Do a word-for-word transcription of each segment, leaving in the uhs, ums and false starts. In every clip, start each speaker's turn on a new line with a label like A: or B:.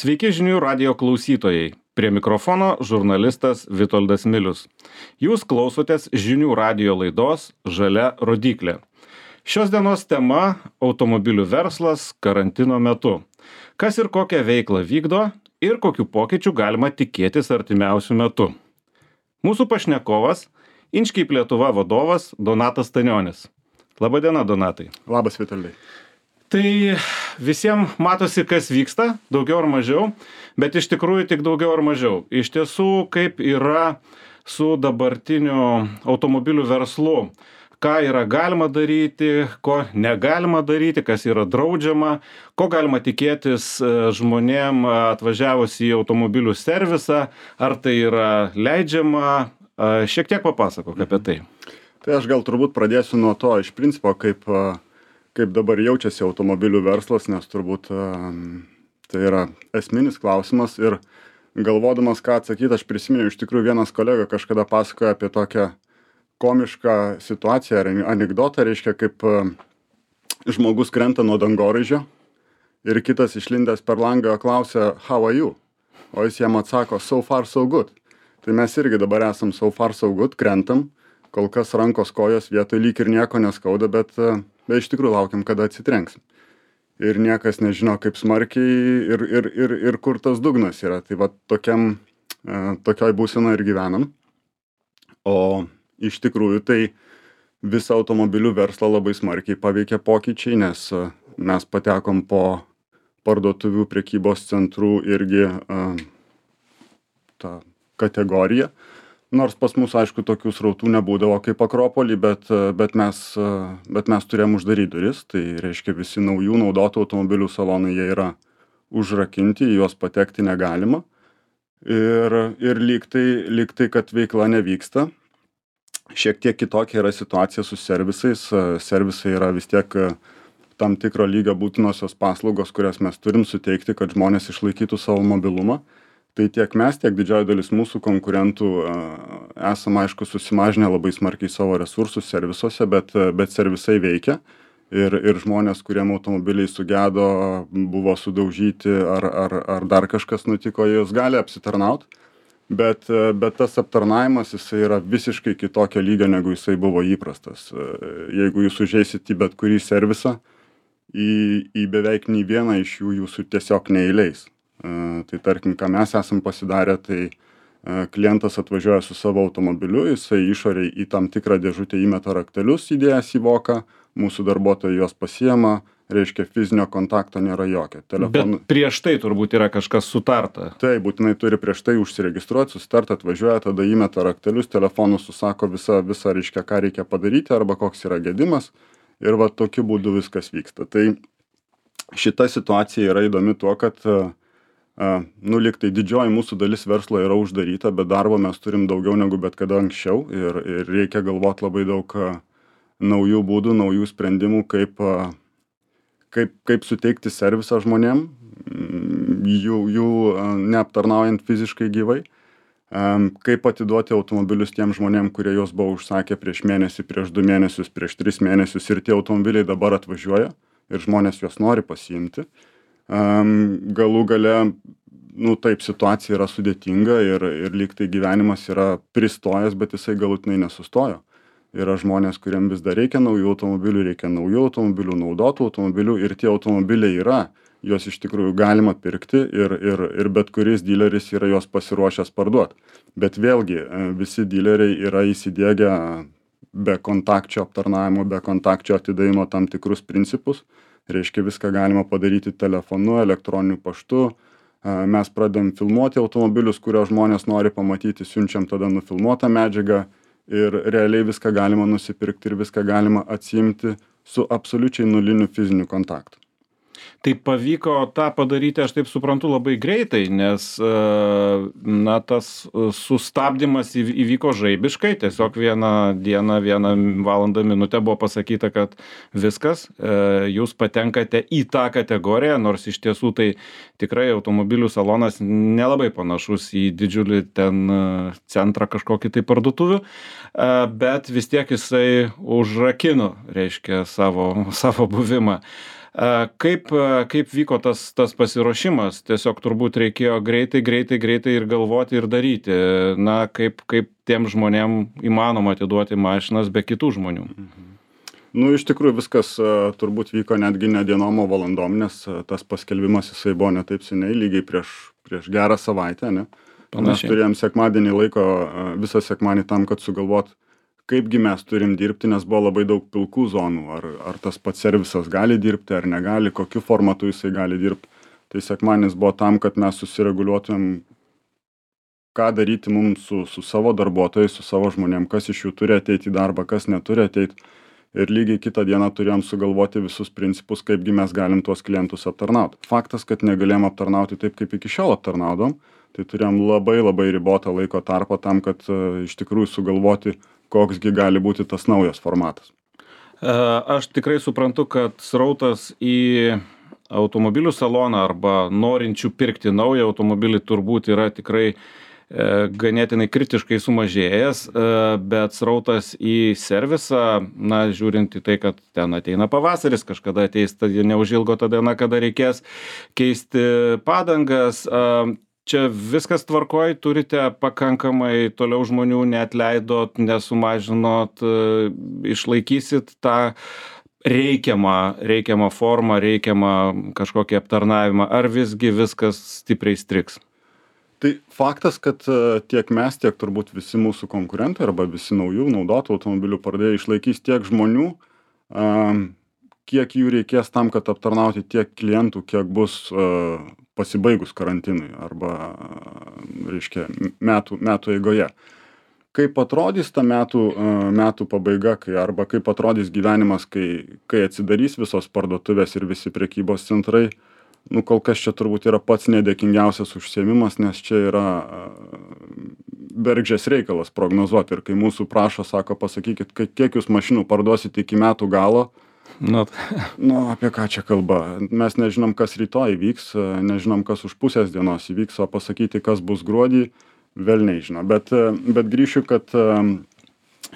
A: Sveiki žinių radijo klausytojai. Prie mikrofono žurnalistas Vitoldas Milius. Jūs klausotės žinių radijo laidos Žalia rodyklė. Šios dienos tema – automobilių verslas karantino metu. Kas ir kokią veiklą vykdo ir kokių pokyčių galima tikėtis artimiausių metų. Mūsų pašnekovas – Inchcape Lietuva vadovas Donatas Stanionis. Labadiena, Donatai.
B: Labas, Vitoldai.
A: Tai visiems matosi, kas vyksta, daugiau ar mažiau, bet iš tikrųjų tik daugiau ar mažiau. Iš tiesų, kaip yra su dabartiniu automobilių verslu, ką yra galima daryti, ko negalima daryti, kas yra draudžiama, ko galima tikėtis žmonėm atvažiavus į automobilių servisą, ar tai yra leidžiama, šiek tiek papasakok apie tai.
B: Tai aš gal turbūt pradėsiu nuo to, iš principo, kaip... kaip dabar jaučiasi automobilių verslas, nes turbūt tai yra esminis klausimas ir galvodamas, ką atsakyti, aš prisiminiau, iš tikrųjų vienas kolega kažkada pasakojo apie tokią komišką situaciją ar anekdotą, reiškia, kaip žmogus krenta nuo dangoraižio ir kitas išlindęs per langą klausia, how are you? O jis jam atsako, so far so good. Tai mes irgi dabar esam so far so good, krentam, kol kas rankos kojos vietoj lyg ir nieko neskauda, bet bet iš tikrųjų laukiam, kada atsitrenksim. Ir niekas nežino, kaip smarkiai ir, ir, ir, ir kur tas dugnas yra. Tai va tokiam, tokioj būsenoj ir gyvenam. O iš tikrųjų tai visą automobilių verslą labai smarkiai paveikia pokyčiai, nes mes patekom po parduotuvių prekybos centrų irgi tą kategoriją. Nors pas mus, aišku, tokių srautų nebūdavo kaip Akropolį, bet, bet, mes, bet mes turėjom uždaryti duris. Tai reiškia, visi naujų naudotų automobilių salonai jie yra užrakinti, į juos patekti negalima. Ir, ir lyg tai, lyg tai, kad veikla nevyksta. Šiek tiek kitokia yra situacija su servisais. Servisai yra vis tiek tam tikro lygio būtinosios paslaugos, kurias mes turim suteikti, kad žmonės išlaikytų savo mobilumą. Tai tiek mes, tiek didžioji dalis mūsų konkurentų esam, aišku, susimažinę labai smarkiai savo resursus servisuose, bet, bet servisai veikia ir, ir žmonės, kuriem automobiliai sugedo, buvo sudaužyti ar, ar, ar dar kažkas nutiko, jūs gali apsitarnaut, bet, bet tas aptarnavimas jisai yra visiškai kitokio lygio, negu jisai buvo įprastas. Jeigu jūs užeisit į bet kurį servisą, į, į beveik nei vieną iš jų jūsų tiesiog neįleis. Tai tarkim, ką mes esam pasidarę, tai klientas atvažiuoja su savo automobiliu, jisai išoriai į tam tikrą dėžutę įmeta raktelius įdėjęs į voką, mūsų darbuotojai juos pasiema, reiškia fizinio kontakto nėra jokio.
A: Telefonu... Bet prieš tai turbūt yra kažkas sutarta.
B: Tai būtinai turi prieš tai užsiregistruoti, susitart, atvažiuoja, tada įmeta raktelius, telefonu susako visą, visą reiškia, ką reikia padaryti arba koks yra gedimas ir va tokiu būdu viskas vyksta. Tai šita situacija yra įdomi tuo, kad Uh, nu, lyg tai didžioji mūsų dalis verslo yra uždaryta, bet darbo mes turim daugiau negu bet kada anksčiau ir, ir reikia galvoti labai daug uh, naujų būdų, naujų sprendimų, kaip, uh, kaip, kaip suteikti servisą žmonėm, jų, jų uh, neaptarnaujant fiziškai gyvai, um, kaip atiduoti automobilius tiem žmonėm, kurie juos buvo užsakę prieš mėnesį, prieš du mėnesius, prieš tris mėnesius ir tie automobiliai dabar atvažiuoja ir žmonės juos nori pasiimti. Um, galų gale, nu taip, situacija yra sudėtinga ir, ir lyg tai gyvenimas yra pristojęs, bet jisai galutinai nesustojo. Yra žmonės, kuriem vis dar reikia naujų automobilių, reikia naujų automobilių, naudotų automobilių ir tie automobiliai yra, juos iš tikrųjų galima pirkti ir, ir, ir bet kuris dileris yra juos pasiruošęs parduoti. Bet vėlgi, visi dileriai yra įsidiegę be kontakčio aptarnavimo, be kontakčio atidavimo tam tikrus principus. Reiškia, viską galima padaryti telefonu, elektroniniu paštu. Mes pradedam filmuoti automobilius, kurio žmonės nori pamatyti, siunčiam tada nufilmuotą medžiagą ir realiai viską galima nusipirkti ir viską galima atsiimti su absoliučiai nuliniu fiziniu kontaktu.
A: Tai pavyko tą padaryti, aš taip suprantu, labai greitai, nes na, tas sustabdymas įvyko žaibiškai, tiesiog vieną dieną, vieną valandą minutę buvo pasakyta, kad viskas, jūs patenkate į tą kategoriją, nors iš tiesų tai tikrai automobilių salonas nelabai panašus į didžiulį ten centrą kažkokį tai parduotuvių, bet vis tiek jisai užrakino, reiškia, savo, savo buvimą. Kaip, kaip vyko tas, tas pasiruošimas? Tiesiog turbūt reikėjo greitai, greitai, greitai ir galvoti ir daryti. Na, kaip, kaip tiem žmonėm įmanoma atiduoti mašinas be kitų žmonių?
B: Mhm. Nu, iš tikrųjų viskas turbūt vyko netgi ne dienom, o valandom, nes tas paskelbimas jisai buvo ne taip seniai, lygiai prieš, prieš gerą savaitę, ne? Panašiai. Mes turėjom sekmadienį laiko, visą sekmadienį tam, kad sugalvot, kaipgi mes turim dirbti, nes buvo labai daug pilkų zonų, ar, ar tas pats servisas gali dirbti, ar negali, kokiu formatu jisai gali dirbti. Tai sekmadienis buvo tam, kad mes susireguliuotumėm, ką daryti mums su, su savo darbuotojais, su savo žmonėm, kas iš jų turi ateiti į darbą, kas neturi ateiti. Ir lygiai kitą dieną turėjom sugalvoti visus principus, kaipgi mes galim tuos klientus aptarnauti. Faktas, kad negalėjom aptarnauti taip, kaip iki šiol aptarnaudom, tai turėjom labai labai ribotą laiko tarpą tam, kad uh, iš tikrųjų sugalvoti, koksgi gali būti tas naujas formatas.
A: Aš tikrai suprantu, kad srautas į automobilių saloną arba norinčių pirkti naują automobilį turbūt yra tikrai ganėtinai kritiškai sumažėjęs, bet srautas į servisą, na, žiūrint į tai, kad ten ateina pavasaris, kažkada ateis, tai neužilgo ta diena, kada reikės keisti padangas. Čia viskas tvarkoj, turite pakankamai toliau žmonių, neatleidot, nesumažinot, išlaikysit tą reikiamą, reikiamą formą, reikiamą kažkokį aptarnavimą, ar visgi viskas stipriai striks?
B: Tai faktas, kad tiek mes, tiek turbūt visi mūsų konkurentai arba visi naujų naudotų automobilių pardavėjai išlaikys tiek žmonių, kiek jų reikės tam, kad aptarnauti tiek klientų, kiek bus pasibaigus karantinui arba, reiškia, metų, metų eigoje. Kaip atrodys ta metų, metų pabaiga, kai, arba kaip atrodys gyvenimas, kai, kai atsidarys visos parduotuvės ir visi prekybos centrai, nu, kol kas čia turbūt yra pats nedėkingiausias užsiėmimas, nes čia yra bergždžias reikalas prognozuoti. Ir kai mūsų prašo, sako, pasakykit, kiek jūs mašinų parduosit iki metų galo,
A: nu,
B: nu, apie ką čia kalba. Mes nežinom, kas rytoj įvyks, nežinom, kas už pusės dienos įvyks, o pasakyti, kas bus gruodį, vėl nežino. Bet, bet grįšiu, kad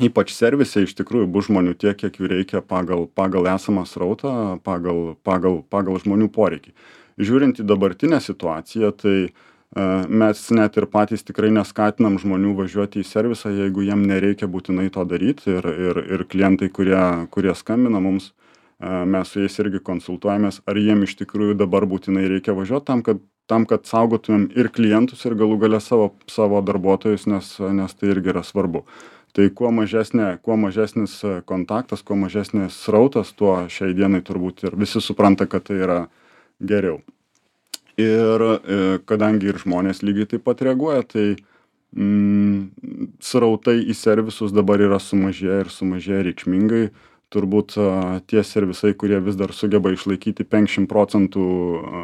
B: ypač servise iš tikrųjų bus žmonių tiek, kiek jų reikia pagal, pagal esamą srautą, pagal, pagal, pagal žmonių poreikį. Žiūrint į dabartinę situaciją, tai uh, mes net ir patys tikrai neskatinam žmonių važiuoti į servisą, jeigu jiem nereikia būtinai to daryti. Ir, ir, ir klientai, kurie, kurie skambina mums, uh, mes su jais irgi konsultuojamės, ar jiem iš tikrųjų dabar būtinai reikia važiuoti tam, kad, tam, kad saugotumėm ir klientus, ir galų gale savo, savo darbuotojus, nes, nes tai irgi yra svarbu. Tai kuo, mažesnė, kuo mažesnis kontaktas, kuo mažesnis srautas, tuo šiai dienai turbūt ir visi supranta, kad tai yra geriau. Ir kadangi ir žmonės lygiai taip pat reaguoja, tai mm, srautai į servisus dabar yra sumažėję ir sumažėję reikšmingai. Turbūt a, tie servisai, kurie vis dar sugeba išlaikyti penkiasdešimt procentų a,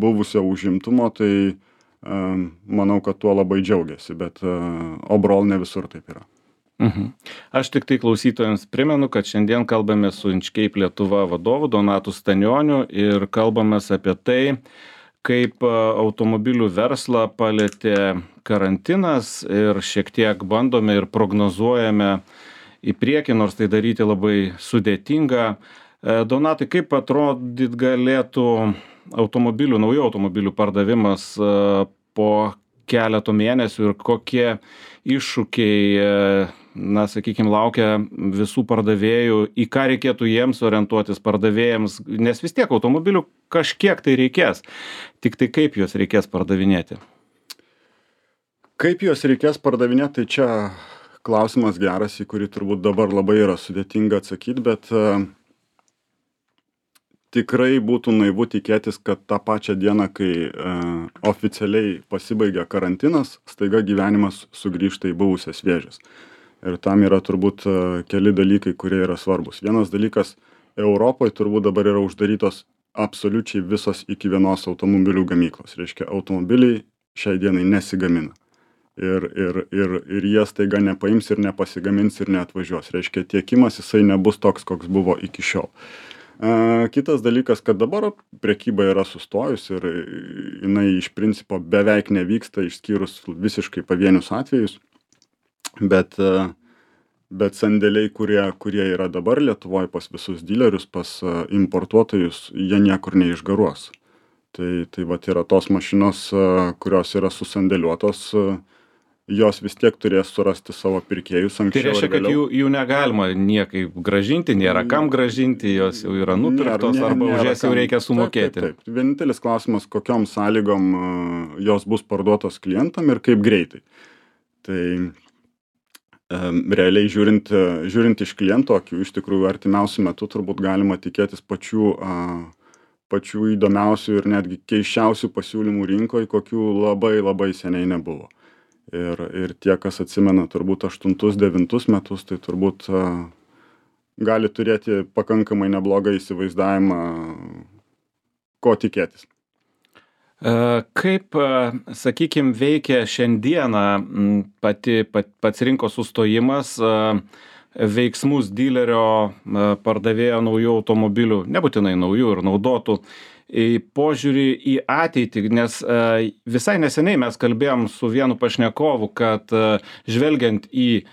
B: buvusio užimtumo, tai a, manau, kad tuo labai džiaugiasi, bet overall ne visur taip yra.
A: Mhm. Aš tik tai klausytojams primenu, kad šiandien kalbame su Inchcape Lietuva vadovu Donatu Stanioniu ir kalbamės apie tai, kaip automobilių verslą palietė karantinas ir šiek tiek bandome ir prognozuojame į priekį, nors tai daryti labai sudėtinga. Donatai, kaip atrodyt galėtų automobilių, naujų automobilių pardavimas po keletų mėnesių ir kokie iššūkiai, na, sakykime, laukia visų pardavėjų, į ką reikėtų jiems orientuotis pardavėjams, nes vis tiek automobilių kažkiek tai reikės, tik tai kaip juos reikės pardavinėti?
B: Kaip juos reikės pardavinėti, tai čia klausimas geras, į kurį turbūt dabar labai yra sudėtinga atsakyti, bet uh, tikrai būtų naivu tikėtis, kad tą pačią dieną, kai uh, oficialiai pasibaigia karantinas, staiga gyvenimas sugrįžta į buvusias vėžes. Ir tam yra turbūt uh, keli dalykai, kurie yra svarbus. Vienas dalykas, Europoje turbūt dabar yra uždarytos absoliučiai visos iki vienos automobilių gamyklos. Reiškia, automobiliai šiai dienai nesigamina. Ir, ir, ir, ir jie staiga nepaims ir nepasigamins ir neatvažiuos. Reiškia, tiekimas jisai nebus toks, koks buvo iki šiol. Uh, kitas dalykas, kad dabar prekyba yra sustojus ir jinai iš principo beveik nevyksta, išskyrus visiškai pavienius atvejus. Bet uh, bet sandėliai, kurie, kurie yra dabar Lietuvoje pas visus dilerius, pas importuotojus, jie niekur neišgaruos. Tai, tai vat yra tos mašinos, kurios yra susandėliuotos, jos vis tiek turės surasti savo pirkėjus anksčiau.
A: Tai reiškia, kad jų, jų negalima niekaip gražinti, nėra kam gražinti, jos jau yra nupirktos nėra, arba už jas jau reikia sumokėti.
B: Taip, taip, taip. Vienintelis klausimas, kokiom sąlygom jos bus parduotos klientam ir kaip greitai. Tai realiai žiūrint, žiūrint iš kliento akių, iš tikrųjų artimiausių metų turbūt galima tikėtis pačių, pačių įdomiausių ir netgi keiščiausių pasiūlymų rinkoje, kokių labai labai seniai nebuvo. Ir, ir tie, kas atsimena turbūt aštuntus, devintus metus, tai turbūt uh, gali turėti pakankamai neblogą įsivaizdavimą, ko tikėtis.
A: Kaip, sakykime, veikia šiandieną pati, pat, pats rinkos sustojimas, veiksmus dilerio pardavėjo naujų automobilių, nebūtinai naujų ir naudotų, į požiūrį į ateitį, nes visai neseniai mes kalbėjom su vienu pašnekovu, kad žvelgiant į,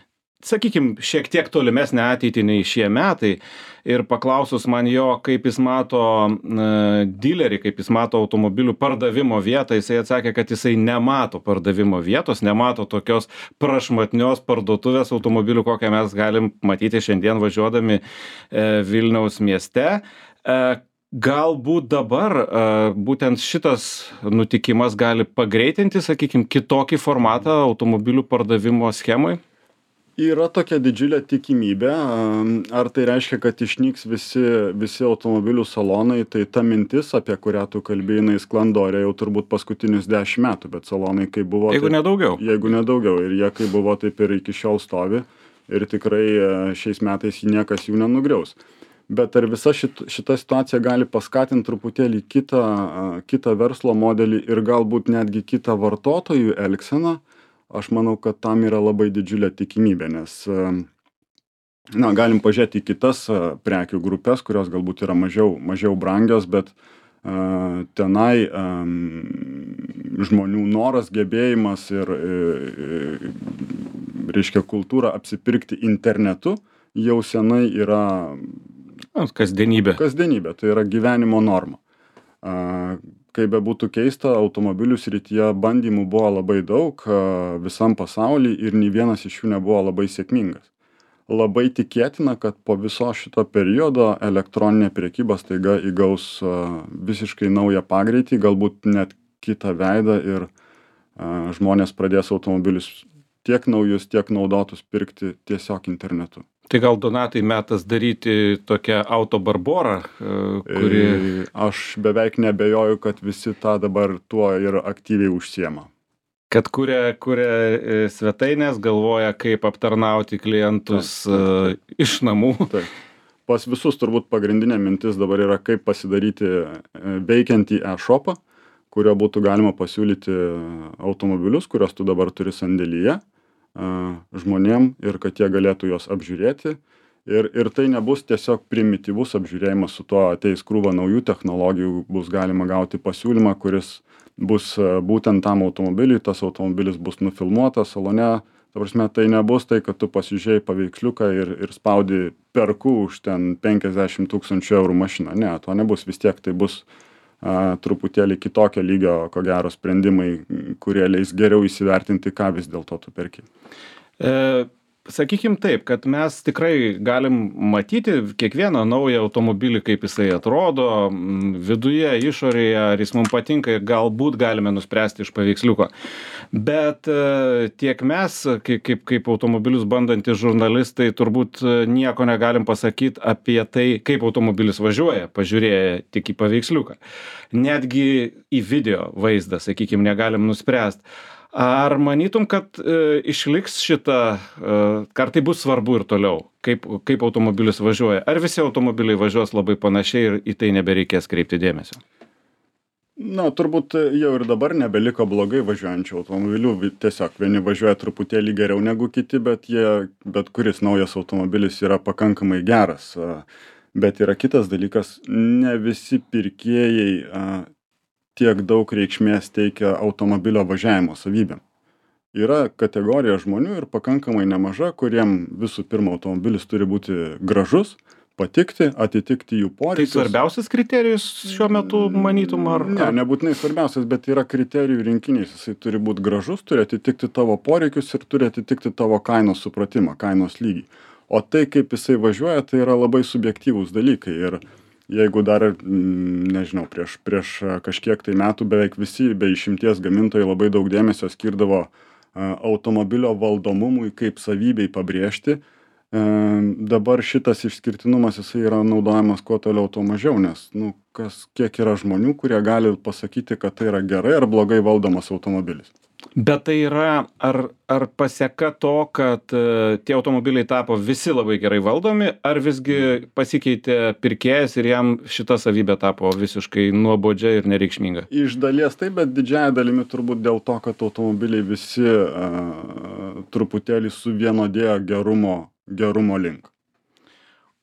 A: sakykime, šiek tiek tolimesnę ateitį nei šie metai ir paklausus man jo, kaip jis mato dilerį, kaip jis mato automobilių pardavimo vietą, jisai atsakė, kad jisai nemato pardavimo vietos, nemato tokios prašmatnios parduotuvės automobilių, kokią mes galim matyti šiandien važiuodami Vilniaus mieste. Galbūt dabar būtent šitas nutikimas gali pagreitinti, sakykime, kitokį formatą automobilių pardavimo schemai?
B: Yra tokia didžiulė tikimybė. Ar tai reiškia, kad išnyks visi, visi automobilių salonai, tai ta mintis, apie kurią tu kalbėjai, jinai sklando ore jau turbūt paskutinius dešimt metų, bet salonai kaip buvo...
A: Jeigu nedaugiau.
B: Jeigu nedaugiau. Ir jie kaip buvo, taip ir iki šiol stovi. Ir tikrai šiais metais niekas jų nenugriaus. Bet ar visa šit, šita situacija gali paskatinti truputėlį kitą, kitą verslo modelį ir galbūt netgi kitą vartotojų elgseną, aš manau, kad tam yra labai didžiulė tikimybė, nes na, galim pažiūrėti į kitas prekių grupės, kurios galbūt yra mažiau, mažiau brangios, bet uh, tenai um, žmonių noras, gebėjimas ir, ir, reiškia, kultūra apsipirkti internetu jau senai yra
A: Kasdienybė.
B: Kasdienybė, tai yra gyvenimo norma. Kaip bebūtų keista, automobilių srityje bandymų buvo labai daug visam pasaulyje ir nei vienas iš jų nebuvo labai sėkmingas. Labai tikėtina, kad po viso šito periodo elektroninė prekyba staiga įgaus visiškai naują pagreitį, galbūt net kitą veidą ir žmonės pradės automobilius tiek naujus, tiek naudotus pirkti tiesiog internetu.
A: Tai gal, Donatai, metas daryti tokią autobarborą, kuri...
B: Aš beveik nebejoju, kad visi tą dabar tuo ir aktyviai užsiema.
A: Kad kuria, kuria svetainės, galvoja, kaip aptarnauti klientus taip, taip, taip. Iš namų.
B: Taip. Pas visus turbūt pagrindinė mintis dabar yra, kaip pasidaryti veikiantį e-shopą, kurio būtų galima pasiūlyti automobilius, kurios tu dabar turi sandėlyje žmonėm ir kad jie galėtų juos apžiūrėti. Ir, ir tai nebus tiesiog primityvus apžiūrėjimas, su tuo ateis krūva naujų technologijų, bus galima gauti pasiūlymą, kuris bus būtent tam automobiliui, tas automobilis bus nufilmuotas salone. Ta prasme, tai nebus tai, kad tu pasižiūrėjai paveiksliuką ir, ir spaudi perku už ten penkiasdešimt tūkstančių eurų mašiną. Ne, to nebus, vis tiek tai bus a, truputėlį kitokio lygio, ko gero, sprendimai, kurie leis geriau įsivertinti, ką vis dėlto tu perki.
A: E, sakykim taip, kad mes tikrai galim matyti kiekvieną naują automobilį, kaip jisai atrodo, viduje, išorėje, ar jis mums patinka ir galbūt galime nuspręsti iš paveiksliuko. Bet e, tiek mes, kaip, kaip, kaip automobilius bandantys žurnalistai, turbūt nieko negalim pasakyti apie tai, kaip automobilis važiuoja, pažiūrėję tik į paveiksliuką. Netgi į video vaizdą, sakykim, negalim nuspręsti. Ar manytum, kad e, išliks šitą, e, ar tai bus svarbu ir toliau, kaip, kaip automobilis važiuoja? Ar visi automobiliai važiuos labai panašiai ir į tai nebereikės kreipti dėmesio?
B: Na, turbūt jau ir dabar nebeliko blogai važiuojančių automobilių. Tiesiog vieni važiuoja truputėlį geriau negu kiti, bet, jie, bet kuris naujas automobilis yra pakankamai geras. Bet yra kitas dalykas, ne visi pirkėjai a, tiek daug reikšmės teikia automobilio važiavimo savybėm. yra kategorija žmonių ir pakankamai nemaža, kuriem visų pirma automobilis turi būti gražus, patikti, atitikti jų
A: Tai
B: poreikius.
A: svarbiausias kriterijus šiuo metu manytum, ar...
B: Ne, nebūtinai svarbiausias, bet yra kriterijų rinkinys. Jisai turi būti gražus, turi atitikti tavo poreikius ir turi atitikti tavo kainos supratimą, kainos lygį. O tai, kaip jisai važiuoja, tai yra labai subjektyvūs dalykai. Ir jeigu dar, nežinau, prieš, prieš kažkiek tai metų beveik visi be išimties gamintojai labai daug dėmesio skirdavo automobilio valdomumui kaip savybei pabrėžti, dabar šitas išskirtinumas jisai yra naudojamas kuo toliau, tuo mažiau, nes, nu, kas, kiek yra žmonių, kurie gali pasakyti, kad tai yra gerai ar blogai valdomas automobilis.
A: Bet tai yra, ar, ar paseka to, kad uh, tie automobiliai tapo visi labai gerai valdomi, ar visgi pasikeitė pirkėjas ir jam šita savybė tapo visiškai nuobodžia ir nereikšminga?
B: Iš dalies taip, bet didžiąja dalimi turbūt dėl to, kad automobiliai visi uh, truputėlį suvienodėjo gerumo, gerumo link.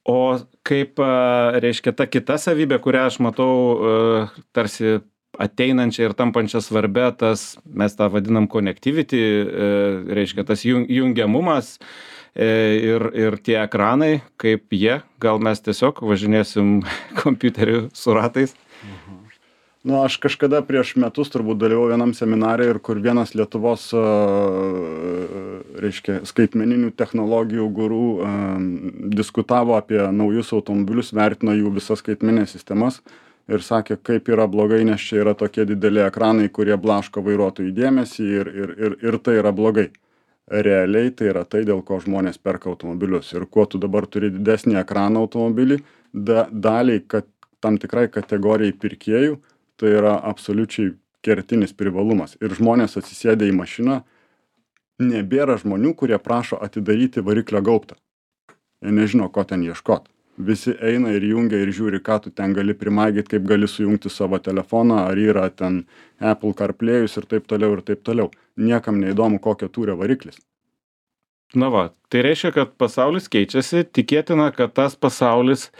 A: O kaip, uh, reiškia, ta kita savybė, kurią aš matau uh, tarsi ateinančią ir tampančią svarbę, tas, mes tą vadinam connectivity, reiškia, tas jungiamumas ir, ir tie ekranai, kaip jie, gal mes tiesiog važinėsim kompiuteriu su ratais.
B: Mhm. Nu, aš kažkada prieš metus turbūt dalyvau vienam seminare ir kur vienas Lietuvos, reiškia, skaitmeninių technologijų gurų diskutavo apie naujus automobilius, vertino jų visas skaitmeninės sistemas. Ir sakė, kaip yra blogai, nes čia yra tokie dideli ekranai, kurie blaško vairuotojų dėmesį ir, ir, ir, ir tai yra blogai. Realiai tai yra tai, dėl ko žmonės perka automobilius. Ir kuo tu dabar turi didesnį ekraną automobilį, da, daliai, kad tam tikrai kategorijai pirkėjų, tai yra absoliučiai kertinis privalumas. Ir žmonės atsisėdę į mašiną, nebėra žmonių, kurie prašo atidaryti variklio gaubtą. Jie nežino, ko ten ieškot. Visi eina ir jungia ir žiūri, ką tu ten gali primaigyti, kaip gali sujungti savo telefoną, ar yra ten Apple CarPlay'us ir taip toliau ir taip toliau. Niekam neįdomu, kokio tūrio variklis.
A: Na va, tai reiškia, kad pasaulis keičiasi, tikėtina, kad tas pasaulis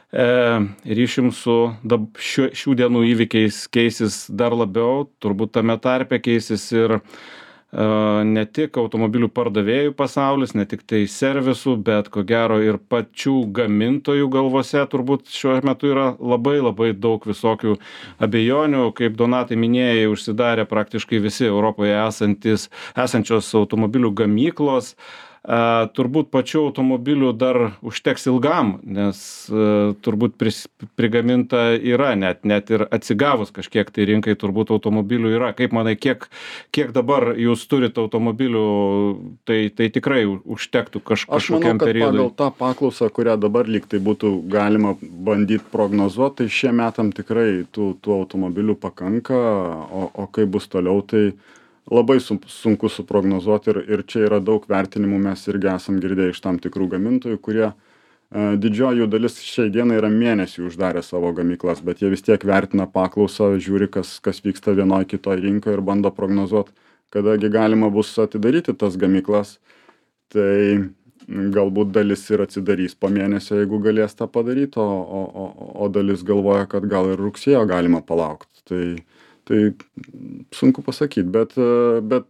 A: e, ryšim su dab, šių, šių dienų įvykiais keisis dar labiau, turbūt tame tarpe keisis ir ne tik automobilių pardavėjų pasaulis, ne tik tai servisų, bet ko gero ir pačių gamintojų galvose turbūt šiuo metu yra labai labai daug visokių abejonių. Kaip Donatai minėjai, užsidarė praktiškai visi Europoje esantis, esančios automobilių gamyklos. A, turbūt pačių automobilių dar užteks ilgam, nes a, turbūt pris, prigaminta yra, net, net ir atsigavus kažkiek tai rinkai turbūt automobilių yra. Kaip manai, kiek, kiek dabar jūs turite automobilių, tai, tai tikrai užtektų kaž, kažkokiam periodui?
B: Aš manau, kad pagal tą paklausą, kurią dabar lyg tai būtų galima bandyti prognozuoti, tai šie metam tikrai tų, tų automobilių pakanka, o, o kaip bus toliau, tai labai sunku suprognozuoti ir, ir čia yra daug vertinimų, mes irgi esam girdėję iš tam tikrų gamintojų, kurie didžioji jų dalis šiai dienai yra mėnesį uždarę savo gamyklas, bet jie vis tiek vertina paklausą, žiūri, kas, kas vyksta vienoje kitoje rinkoje ir bando prognozuoti, kadagi galima bus atidaryti tas gamyklas. Tai galbūt dalis ir atsidarys po mėnesio, jeigu galės tą padaryti, o, o, o, o dalis galvoja, kad gal ir rugsėjo galima palaukti. Tai Tai sunku pasakyti, bet, bet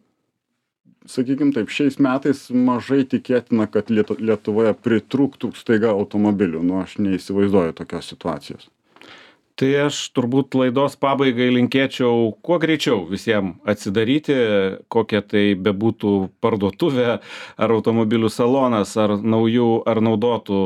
B: sakykime taip, šiais metais mažai tikėtina, kad Lietuvoje pritrūktų staiga automobilių. Nu, aš neįsivaizduoju tokios situacijos.
A: Tai aš turbūt laidos pabaigai linkėčiau kuo greičiau visiems atsidaryti, kokia tai bebūtų parduotuvė, ar automobilių salonas, ar naujų, ar naudotų,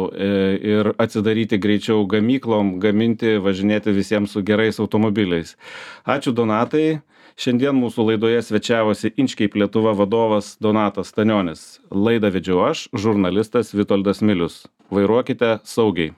A: ir atsidaryti greičiau gamyklom, gaminti, važinėti visiems su gerais automobiliais. Ačiū, Donatai. Šiandien mūsų laidoje svečiavosi Inchcape Lietuva vadovas Donatas Stanionis. Laidą vedžiau aš, žurnalistas Vitoldas Milius. Vairuokite saugiai.